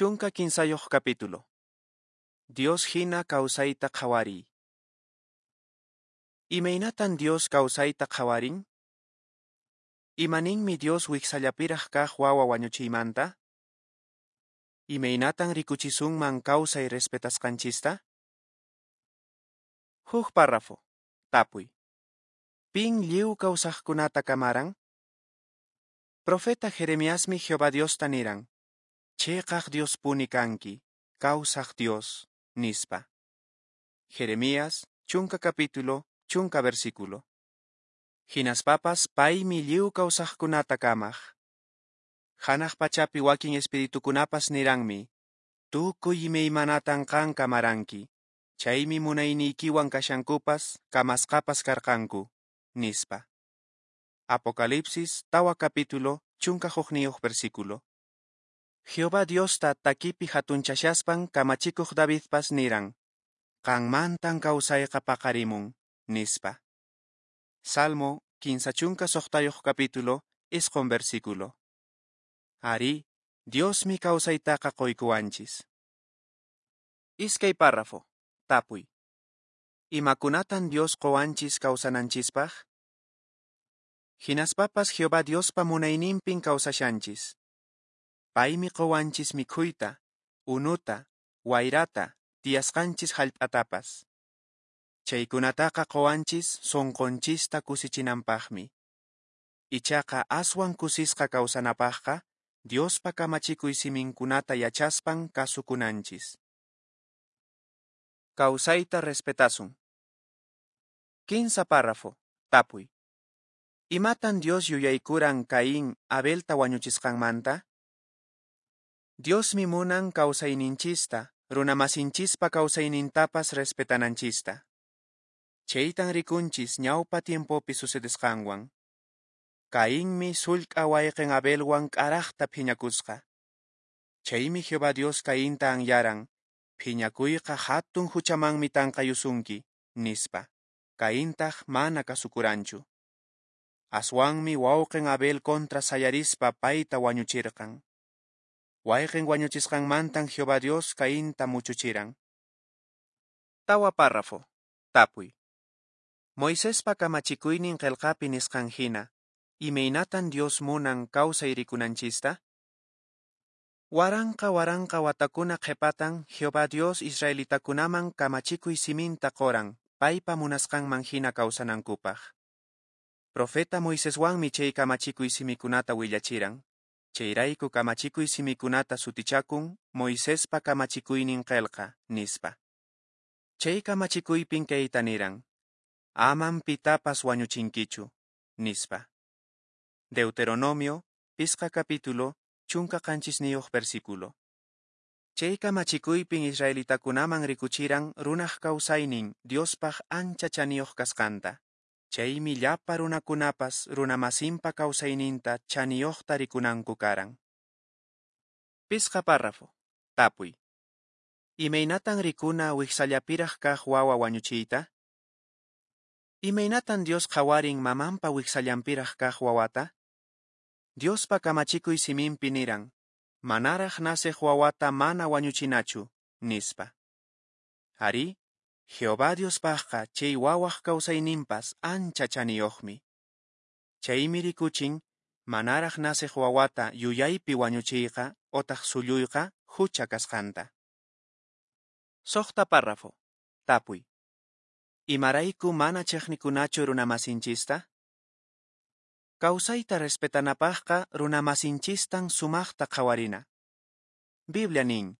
13 capítulo. Dios hina kawsayta qhawariy. Imaynatan Dios kawsayta qhawarin? Imaninmi Dios wiksallapiraq kaq wawa wañuchiymanta? Imaynatan rikuchisunman kawsay respetasqanchista? Huk párrafo. Tapuy. Pin lliw kawsaqkunata kamaran? Profeta Jeremiasmi Jehová Diosta niran: Cheqaq Diospuni kanki, kawsaq Dios, nispa. Jeremías, 10 capítulo, 10 versículo. Hinaspapas paymi lliw kawsaqkunata kamaq. Hanaq pachapi wakin espiritukunapas niranmi: Tukuy imaymanatan qan kamaranki, chaymi munayniykiwan kashankupas, kamasqapas karqanku, nispa. Apocalipsis, 4 capítulo, 11 versículo. Jehová Diosta takipi hatunchashaspan kamachikuq Davidpas niran: Qanmantan kawsayqa paqarimun, nispa. Salmo 56 capítulo, 9 versículo. Ari, Diosmi kawsaytaqa qoykuwanchis. 2 párrafo. Tapuy. Imakunatan Dios qowanchis kawsananchispaq? Hinaspapas Jehová Diospa munayninpin kawsashanchis. Paymi qowanchis mikhuyta, unuta, wayrata, tiyasqanchis hallp'atapas. Chaykunataqa qowanchis sonqonchista kusichinanpaqmi. Ichaqa aswan kusisqa kawsanapaqqa Diospa kamachikuy siminkunata yachaspan kasukunanchis. Kawsayta respetasun. 15 párrafo. Tapuy. Imatan Dios yuyaykuran Caín Abelta wañuchisqanmanta? Diosmi munan kawsayninchista, runamasinchispa kawsaynintapas respetananchista. Chaytan rikunchis ñawpa tiempopi sucedesqanwan. Caínmi sullk'a wayqin Abelwan k'araqta phiñakusqa. Chaymi Jehová Dios Caínta anyaran: Phiñakuyqa hatun huchamanmi tanqayusunki, nispa. Caíntaq mana kasukuranchu. Aswanmi wawqin Abel contra sayarispa payta wañuchirqan. Wayqin wañuchisqanmantan Jehová Dios Caínta muchuchiran. 4 párrafo. Tapuy. Moisespa kamachikuynin qelqapi nisqan hina, imaynatan Dios munan kawsay rikunanchista? Waranqa waranqa watakuna qhepatan Jehová Dios israelitakunaman kamachikuy siminta qoran paypa munasqanman hina kawsanankupaq. Profeta Moiseswanmi chay kamachikuy simikunata willachiran. Chayrayku kamachikuy simikunata sutichakun Moisespa kamachikuynin qelqa, nispa. Chay kamachikuypin kayta niran: Aman pitapas wañuchinkichu, nispa. Deuteronomio, 5 capítulo, 17 versículo. Chay kamachikuypin israelitakunaman rikuchiran runaq kawsaynin Diospaq ancha chaniyuq kasqanta. Chaymi llapa runakunapas runamasinpa kawsayninta chaniyuqta rikunanku karan. 5 párrafo. Tapuy. Imaynatan rikuna wiksallapiraq kaq wawa wañuchiyta? Imaynatan Dios qhawarin mamanpa wiksallanpiraq kaq wawata? Diospa kamachikuy siminpi niran: Manaraq naceq wawata mana wañuchinachu, nispa. Ari, Jehová Diospaqqa chay wawaq kawsayninpas ancha chaniyuqmi. Chaymi rikuchin manaraq naceq wawata yuyaypi wañuchiyqa otaq sulluyqa hucha kasqanta. 6 párrafo. Tapuy. Imarayku mana chiqnikunachu runamasinchista? Kawsayta respetanapaqqa runamasinchistan sumaqta qhawarina. Biblia nin: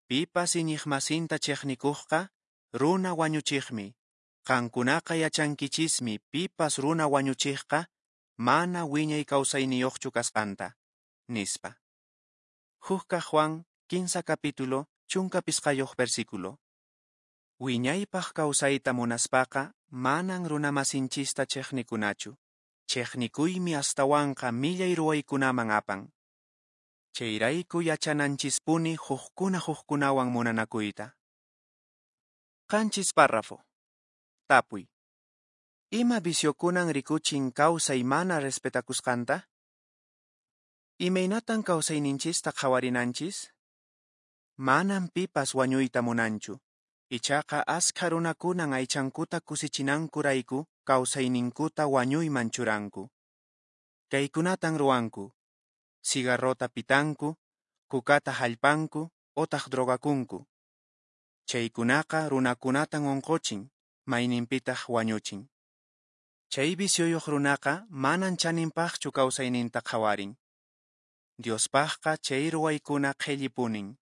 Pipas iñiqmasinta chiqnikuqqa runa wañuchiqmi. Qankunaqa yachankichismi pipas runa wañuchiqqa mana wiñay kawsayniyuqchu kasqanta, nispa. 1 Juan 15 capítulo, 15 versículo. Wiñaypaq kawsayta munaspaqa manan runamasinchista chiqnikunachu. Chiqnikuymi astawanqa millay ruwaykunaman apan. Chayrayku yachananchispuni hukkuna hukkunawan munanakuyta. 7 párrafo. Tapuy. Ima viciokunan rikuchin kawsay mana respetakusqanta? Imaynatan kawsayninchista qhawarinanchis? Manan pipas wañuyta munanchu, ichaqa askha runakunan aychankuta kusichinankurayku kawsayninkuta wañuyman churanku. Kaykunatan ruwanku: cigarrota pitanku, kukata hallp'anku otaq drogakunku. Chaykunaqa runakunatan onqochin, mayninpitaq wañuchin. Chay vicioyoq runaqa manan chaninpaqchu kawsayninta qhawarin. Diospaqqa chay ruwaykuna qhellipunin.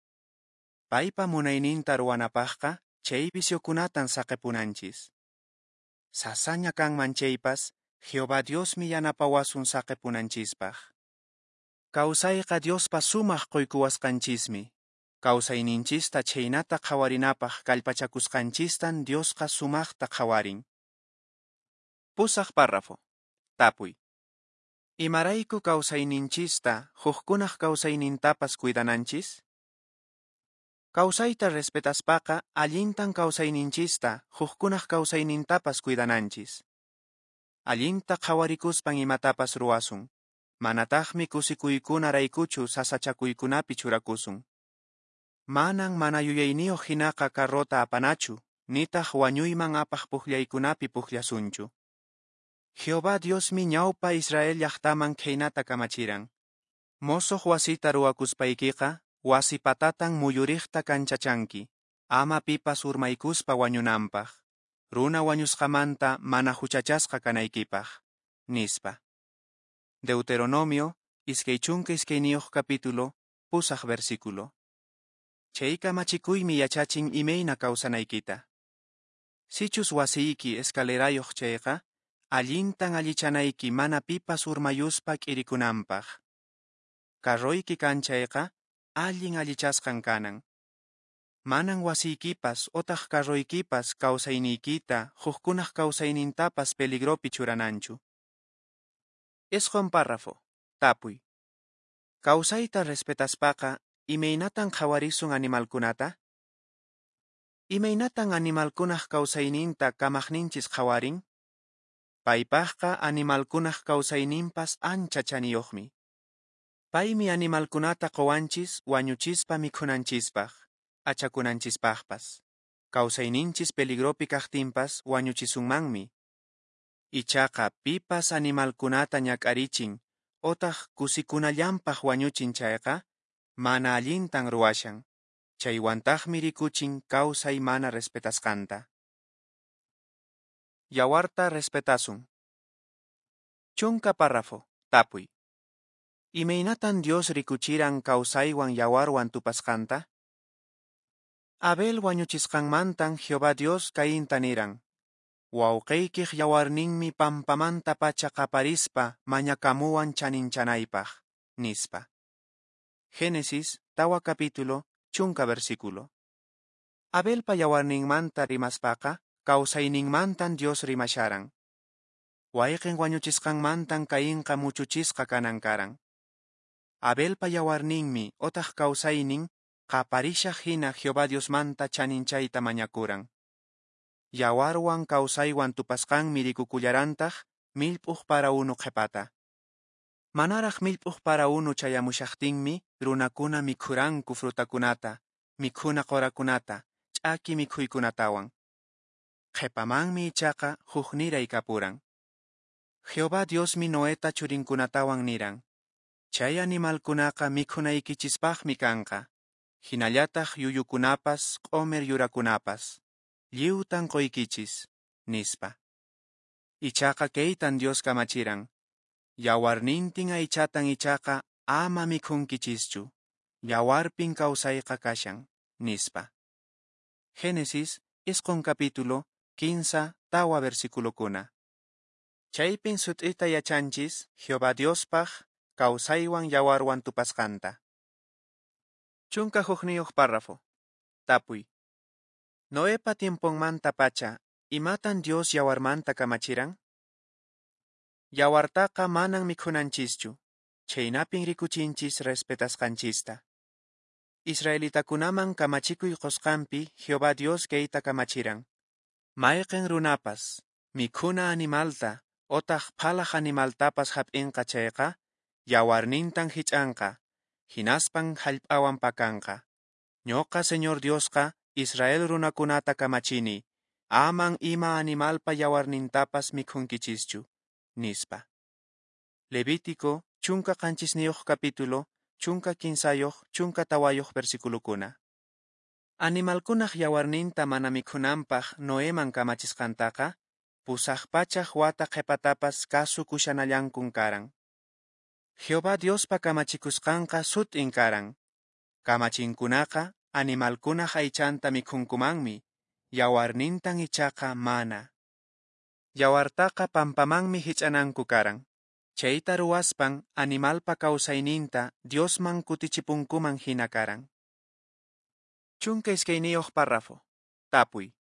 Paypa munayninta ruwanapaqqa chay viciokunatan saqepunanchis. Sasaña kanman chaypas, Jehová Diosmi yanapawasun saqepunanchispaq. Kawsayqa Diospa sumaq qoykuwasqanchismi. Kawsayninchista chhaynata qhawarinapaq kallpachakusqanchistan Diosqa sumaqta qhawarin. Pusaq párrafo. Tapuy. Imarayku kawsayninchista hukkunaq kawsaynintapas cuidananchis? Kawsayta respetaspaqa allintan kawsayninchista hukkunaq kawsaynintapas cuidananchis. Allinta qhawarikuspan imatapas ruwasun. Manataqmi kusikuykunaraykuchu sasachakuykunapi churakusun. Manan mana yuyayniyuq hinaqa carrota apanachu, nitaq wañuyman apaq pukllaykunapi pukllasunchu. Jehová Diosmi ñawpa Israel llaqtaman khaynata kamachiran. Mosoq wasita ruwakuspaykiqa, wasi patatan muyuriqta kanchachanki, ama pipas urmaykuspa wañunanpaq, runa wañusqamanta mana huchachasqa kanaykipaq, nispa. Deuteronomio, 22 capítulo, 8 versículo. Chay kamachikuymi yachachin imayna kawsanaykita. Sichus wasiyki escalerayuq chayqa, allintan allichanayki mana pipas urmayuspa k'irikunanpaq. Carroyki kan chayqa, allin allichasqan kanan. Manan wasiykipas otaq carroykipas kawsayniykita hukkunaq kawsaynintapas peligropi churananchu. 9 párrafo. Tapuy. Kawsayta respetaspaqa, imaynatan qhawarisun animalkunata? Imaynatan animalkunaq kawsayninta kamaqninchis qhawarin? Paypaqqa animalkunaq kawsayninpas ancha chaniyuqmi. Paymi animalkunata qowanchis wañuchispa mikhunanchispaq, achakunanchispaqpas. Kawsayninchis peligropi kaqtinpas wañuchisunmanmi. Ichaqa pipas animalkunata ñak'arichin otaq kusikunallanpaq wañuchin chayqa, mana allintan ruwashan. Chaywantaqmi rikuchin kawsay mana respetasqanta. Yawarta respetasun. 10 párrafo. Tapuy. Imaynatan Dios rikuchiran kawsaywan yawarwan tupasqanta? Abel wañuchisqanmantan Jehová Dios Cainta niran: Wawqiykiq yawarninmi pampamanta pacha qaparispa mañakamuwan chaninchanaypaq, nispa. Génesis, 4 capítulo, 10 versículo. Abelpa yawarninmanta rimaspaqa, kawsayninmantan Dios rimasharan. Wayqin wañuchisqanmantan Cainqa muchuchisqa kanan karan. Abelpa yawarninmi otaq kawsaynin qaparishaq hina Jehová Diosmanta chaninchayta mañakuran. Yawarwan kawsaywan tupasqanmi rikukullarantaq millp'uq para unu qhepata. Manaraq millp'uq para unu chayamushaqtinmi runakuna mikhuranku frutakunata, mikhuna qorakunata, ch'aki mikhuykunatawan. Qhepamanmi ichaqa hukniray kapuran. Jehová Diosmi Noeta churinkunatawan niran: Chay animalkunaqa mikhunaykichispaqmi kanqa, hinallataq yuyukunapas, q'omer yurakunapas. Lliwtan qoykichis, nispa. Ichaqa kaytan Dios kamachiran: Yawarnintin aychatan ichaqa ama mikhunkichischu, yawarpin kawsayqa kashan, nispa. Génesis, 9 capítulo, 15, 4 versículokuna. Chaypin sut'ita yachanchis Jehová Diospaq kawsaywan yawarwan tupasqanta. 11 párrafo. Tapuy. Noepa tiemponmanta pacha, imatan Dios yawarmanta kamachiran? Yawartaqa manan mikhunanchischu, chhaynapin rikuchinchis respetasqanchista. Israelitakunaman kamachikuy qosqanpi Jehová Dios kayta kamachiran: Mayqin runapas, mikhuna animalta otaq phalaq animaltapas hap'inqa chayqa, yawarnintan hich'anqa, hinaspan hallp'awan pakanqa. Ñoqa Señor Diosqa Israel runakunata kamachini, Aman ima animalpa yawarnintapas mikhunkichischu, nispa. Levítico, 17 capítulo, 13, 14 versiculukuna. Animalkunaq yawarninta mana mikhunanpaq Noeman kamachisqantaqa, 800 wata qhepatapas kasukushanallankun karan. Jehová Diospa kamachikusqanqa sut'in karan. Kamachinkunaqa animalkunaq aychanta mikhunkumanmi, yawarnintan ichaqa mana. Yawartaqa pampamanmi hich'ananku karan. Chayta ruwaspan animalpa kawsayninta Diosman kutichipunkuman hina karan. 12 párrafo. Tapuy.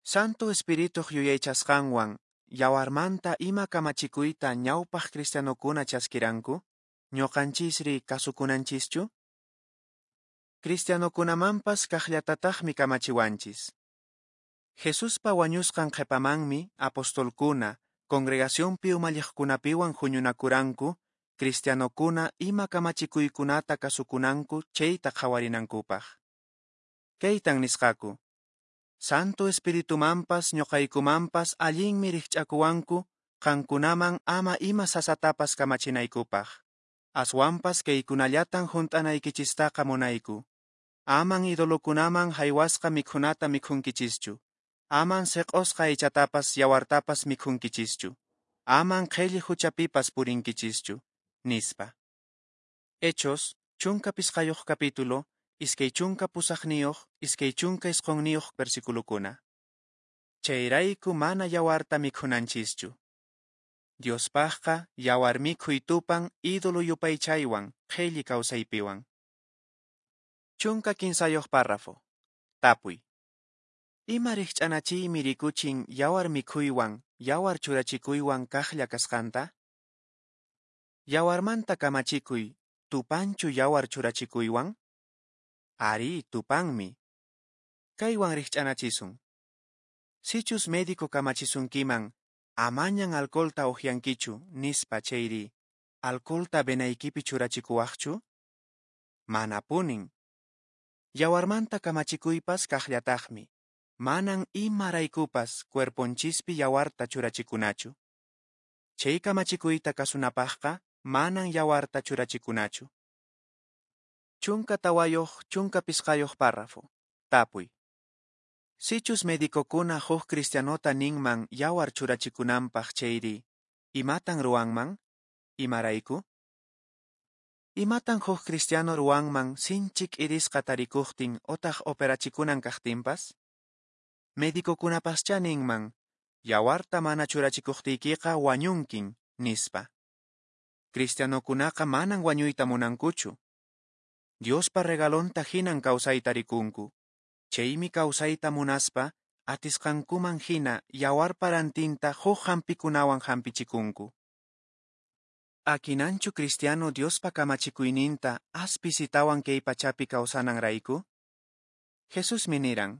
Santo Espirituq yuyaychasqanwan yawarmanta ima kamachikuyta ñawpaq cristianokuna chaskiranku, ñuqanchisri kasukunanchischu? Cristianokunamanpas kaqllatataqmi kamachiwanchis. Jesuspa wañusqan qhepamanmi apostolkuna congregacionpi umalliqkunapiwan huñunakuranku cristianokuna ima kamachikuykunata kasukunanku chayta qhawarinankupaq. Kaytan nisqaku: Santo Espiritumanpas ñuqaykumanpas allinmi rikch'akuwanku qankunaman ama ima sasatapas kamachinaykupaq. Aswanpas kaykunallatan hunt'anaykichistaqa munayku. Aman idolokunaman haywasqa mikhunata mikhunkichischu. Aman seq'osqa aychatapas yawartapas mikhunkichischu. Aman qhelli huchapipas purinkichischu, nispa. Hechos, 15 capítulo, 28, 29 versiculukuna. Chayrayku mana yawarta mikhunanchischu. Diospaqqa yawar mikhuy tupan ídolo yupaychaywan qhelli kawsaypiwan. 13 párrafo. Tapuy. Ima rikch'anachiymi rikuchin yawar mikhuywan, yawar churachikuywan kaqlla kasqanta? Yawarmanta kamachikuy, tupanchu yawar churachikuywan? Ari, tupanmi. Kaywan rikch'anachisun. Sichus médico kamachisunkiman, amañan alcoholta uhiankichu, nispa chayri, alcoholta venaykipi churachikuwaqchu? Manapunin. Yawarmanta kamachikuypas kaqllataqmi. Manan imaraykupas cuerponchispi yawarta churachikunachu. Chay kamachikuyta kasunapaqqa manan yawarta churachikunachu. 14, 15 párrafo. Tapuy. Sichus medicokuna huk cristianota ninman yawar churachikunanpaq chayri, imatan ruwanman? Imarayku? Imatan huk cristiano ruwanman sinchi k'irisqa tarikuqtin otaq operachikunan kaqtinpas? Medicokunapaschá ninman, yawarta mana churachikuqtiykiqa wañunkin, nispa. Cristianokunaqa manan wañuyta munankuchu. Diospa regalonta hinan kawsayta rikunku. Chaymi kawsayta munaspa, atisqankuman hina yawarpa rantinta huk hampikunawan hampichikunku. Akinanchu cristiano Diospa kamachikuyninta as pisitawan kay pachapi kawsananrayku? Jesusmi niran,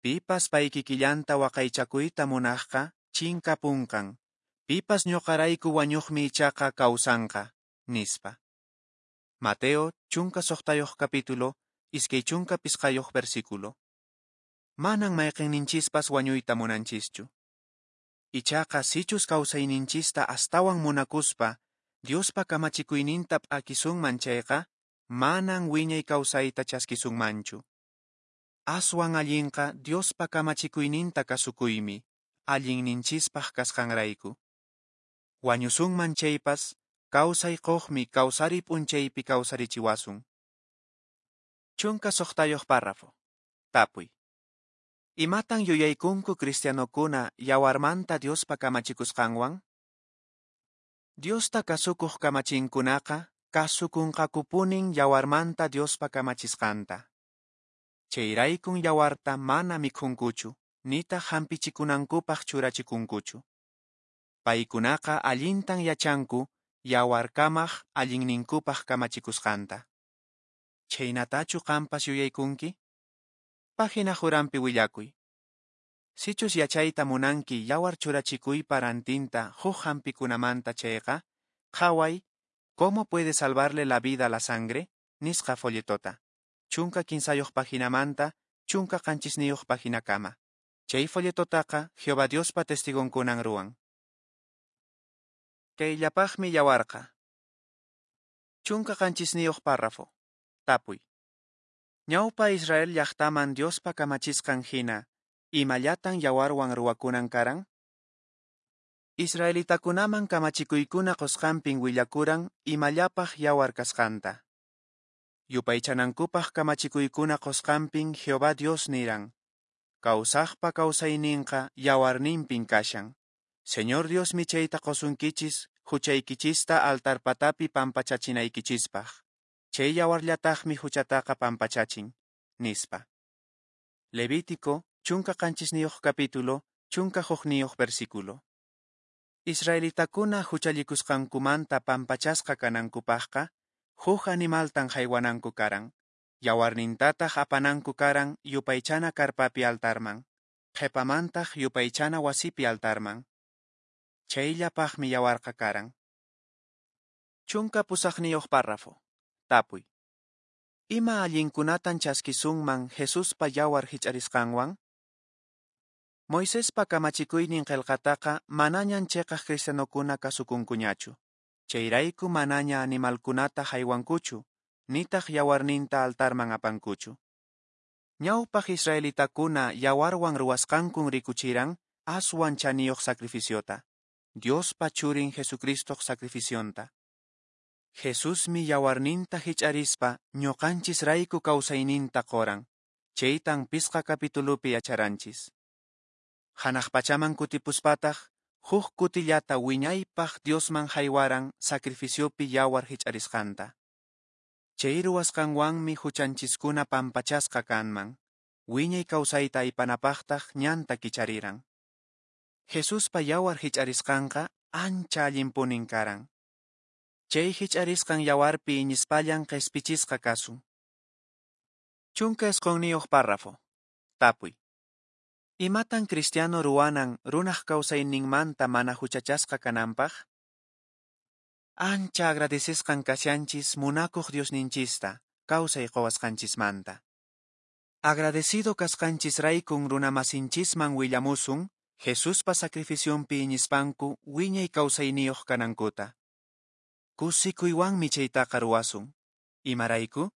pipas paykikillanta waqaychakuyta munaqqa chinkapunqan, pipas ñuqarayku wañuqmi ichaqa kawsanqa, nispa. Mateo, 16 capítulo, 25 versículo. Manan mayqinninchispas wañuyta munanchischu. Ichaqa sichus kawsayninchista astawan munakuspa, Diospa kamachikuyninta p'akisunman chayqa, manan wiñay kawsayta chaskisunmanchu. Aswan allinqa Diospa kamachikuyninta kasukuymi, allinninchispaq kasqanrayku. Wañusunman chaypas, kawsay quqmi kawsari p'unchaypi kawsarichiwasun. 16 párrafo. Tapuy. Imatan yuyaykunku cristianokuna yawarmanta Diospa kamachikusqanwan? Diosta kasukuq kamachinkunaqa kasukunqakupunin yawarmanta Diospa kamachisqanta. Chayraykun yawarta mana mikhunkuchu, nitaq hampichikunankupaq churachikunkuchu. Paykunaqa allintan yachanku yawarkamaq allinninkupaq kamachikusqanta. Chhaynatachu qampas yuyaykunki? Página juranpi willakuy. Sichus yachayta munanki yawar churachikuypa rantinta huk hampikunamanta chayqa, qhaway ¿Cómo puede salvarle la vida la sangre? Nisqa folletota. 13 paginamanta 17 paginakama. Chay folletotaqa Jehová Diospa testigonkunan ruwan. Kayllapaqmi yawarqa. 17 párrafo. Tapuy. Ñawpa Israel llaqtaman Diospa kamachisqan hina, imallatan yawarwan ruwakunan karan? Israelitakunaman kamachikuykuna qusqanpin willakuran imallapaq yawar kasqanta. Yupaychanankupaq kamachikuykuna qusqanpin Jehová Dios niran: Kawsaqpa kawsayninqa yawarninpin kashan. Señor Diosmi chayta qusunkichis huchaykichista altarpatapi pampachachinaykichispaq. Chay yawarllataqmi huchataqa pampachachin, nispa. Levítico, 17 capítulo, 11 versículo. Israelitakuna huchallikusqankumanta pampachasqa kanankupaqqa, huk animaltan haywananku karan, yawarnintataq apananku karan yupaychana karpapi altarman, qhipamantaq yupaychana wasipi altarman. Chayllapaqmi yawarqa karan. 18 párrafo. Tapuy. Ima allinkunatan chaskisunman Jesuspa yawar hich'arisqanwan? Moisespa kamachikuynin qillqataqa manañan chiqaq cristianokuna kasukunkuñachu. Chayrayku manaña animalkunata haywankuchu, nitaq yawarninta altarman apankuchu. Ñawpaq israelitakuna yawarwan ruwasqankun rikuchiran aswan chaniyuq sacrificiota, Diospa churin Jesucristoq sacrificionta. Jesusmi yawarninta hich'arispa ñuqanchisrayku kawsayninta quran, chaytan pisqa capitulupi yacharanchis. Hanaq pachaman kutipuspataq, huk kutillata wiñaypaq Diosman haywaran sacrificiopi yawar hich'arisqanta. Chay ruwasqanwanmi huchanchiskuna pampachasqa kanman, wiñay kawsayta aypanapaqtaq ñanta kichariran. Jesuspa yawar hich'arisqanqa ancha allinpunin karan. Chay hich'arisqan yawarpi iñispallan qhispichisqa kasun. 19 párrafo. Tapuy. Imatan cristiano ruwanan runaq kawsayninmanta mana huchachasqa kananpaq? Ancha agradecesqan kashanchis munakuq Diosninchista kawsay quwasqanchismanta. Agradecido kasqanchisraykun runamasinchisman willamusun Jesuspa sacrificionpi iñispanku wiñay kawsayniyuq kanankuta. Kusikuywanmi chaytaqa ruwasun. Imarayku?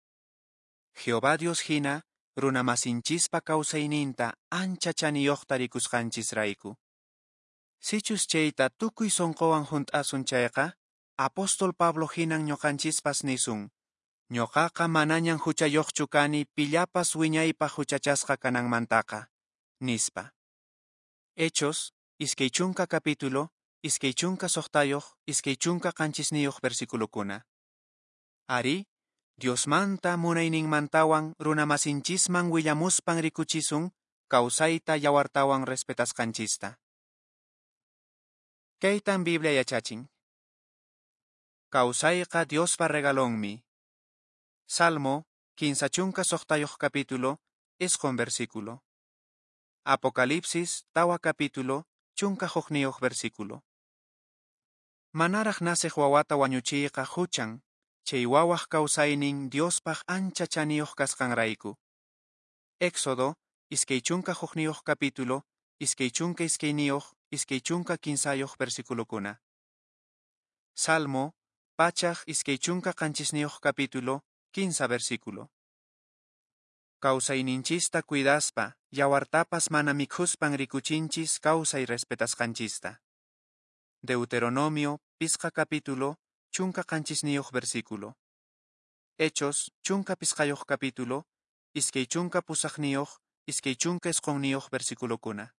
Jehová Dios hina runamasinchispa kawsayninta ancha chaniyuqta rikusqanchisrayku. Sichus chayta tukuy sunquwan hunt'asun chayqa, apóstol Pablo hinan ñuqanchispas nisun: Ñuqaqa manañan huchayuqchu kani pillapas wiñaypaq huchachasqa kananmantaqa, nispa. Hechos, 20 capítulo, 26, 27 versiculokuna. Ari, Diosmanta munayninmantawan runamasinchisman willamuspan rikuchisun kawsayta yawartawan respetasqanchista. Kaytan Biblia yachachin. Kawsayqa Diospa regalonmi. Salmo, 36 capítulo, 9 versículo. Apocalipsis, 4 capítulo, 11 versículo. Manaraq naceq wawata wañuchiyqa huchan, chay wawaq kawsaynin Diospaq ancha chaniyuq kasqanrayku. Éxodo, 21 capítulo, 22, 23 versiculokuna. Salmo, 127 capítulo, 15 versículo. Kawsayninchista cuidaspa, yawartapas mana mikhuspan rikuchinchis kawsay respetasqanchista. Deuteronomio, 5 capítulo, 17 versículo. Hechos, 15 capítulo, 28, 29 versiculokuna.